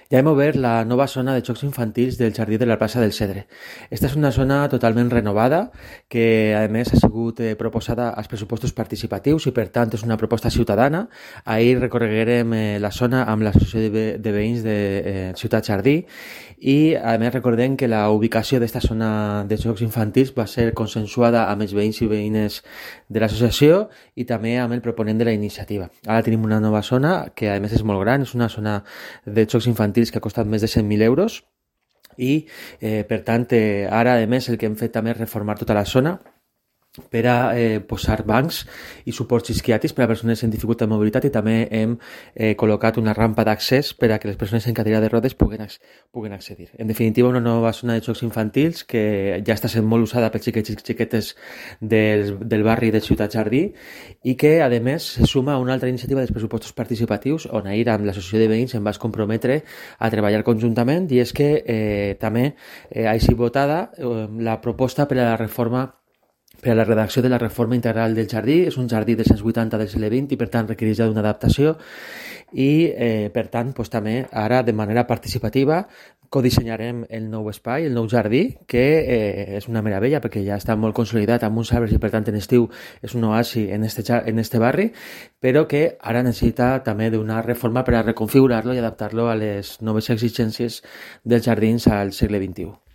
Ja hem obert la nova zona de jocs infantils del Jardí de la plaça del Cedre. Esta és una zona totalment renovada que, a més, ha sigut proposada als pressupostos participatius i, per tant, és una proposta ciutadana. Ahir recorreguerem la zona amb l'associació de veïns de Ciutat Jardí i, a més, recordem que la ubicació d'esta zona de jocs infantils va ser consensuada amb els veïns i veïnes de l'associació i també amb el proponent de la iniciativa. Ara tenim una nova zona que, a més, és molt gran, és una zona de jocs infantils que ha costat més de 100.000 euros i, per tant, ara, a més, el que hem fet també és reformar tota la zona per a posar bancs i suports isquiàtics per a persones en dificultat de mobilitat i també hem col·locat una rampa d'accés per a que les persones en cadira de rodes puguen accedir. En definitiva, una nova zona de jocs infantils que ja està sent molt usada pels xiquets i xiquetes del barri de Ciutat Jardí i que, a més, se suma a una altra iniciativa dels pressupostos participatius on ahir amb l'associació de veïns em vaig comprometre a treballar conjuntament i és que també ha sigut votada la proposta per a la reforma per a la redacció de la reforma integral del jardí. És un jardí de 180 del segle XX i, per tant, requereix d'una adaptació i, per tant, també ara, de manera participativa, codissenyarem el nou espai, el nou jardí, que és una meravella perquè ja està molt consolidat amb uns arbres i, per tant, en estiu és un oasi en este barri, però que ara necessita també d'una reforma per a reconfigurar-lo i adaptar-lo a les noves exigències dels jardins al segle XXI.